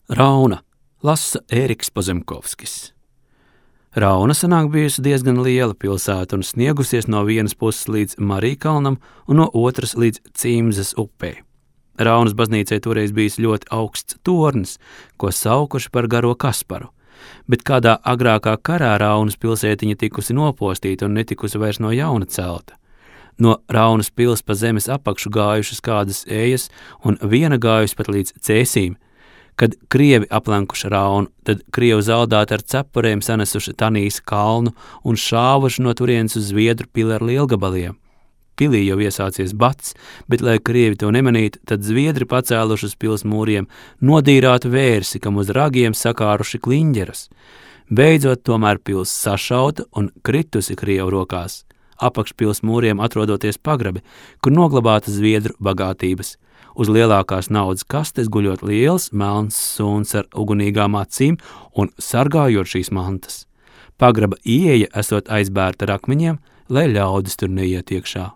Rauna lasa Ēriks Pozemkovskis. Rauna senāk bijusi diezgan liela pilsēta un sniegusies no vienas puses līdz Marīkalnam un no otras līdz Cīmzes upei. Raunas baznīcai toreiz bijis ļoti augsts tornis, ko saukuši par Garo Kasparu, bet kādā agrākā karā Raunas pilsētiņa tikusi nopostīta un netikusi vairs no jauna celta. No Raunas pils pa zemes apakšu gājušas kādas ejas un viena gājusi pat līdz Cēsīm. Kad krievi aplenkuši Raunu, tad krievu zaldāti ar cepurēm sanesuši Tanīs kalnu un šāvuši no turienes uz Zviedru pili ar lielgabaliem. Pilī jau iesācies bats, bet, lai krievi to nemanītu, tad Zviedri pacēluši uz pils mūriem nodīrātu vērsi, kam uz ragiem sakāruši kliņģeras. Beidzot, tomēr pils sašauta un kritusi krievu rokās. Apakšpils mūriem atrodoties pagrabi, kur noglabāta Zviedru bagātības. Uz lielākās naudas kastes guļot liels melns suns ar ugunīgām acīm un sargājot šīs mantas. Pagraba ieeja esot aizbērta ar akmeņiem, lai ļaudis tur neiet iekšā.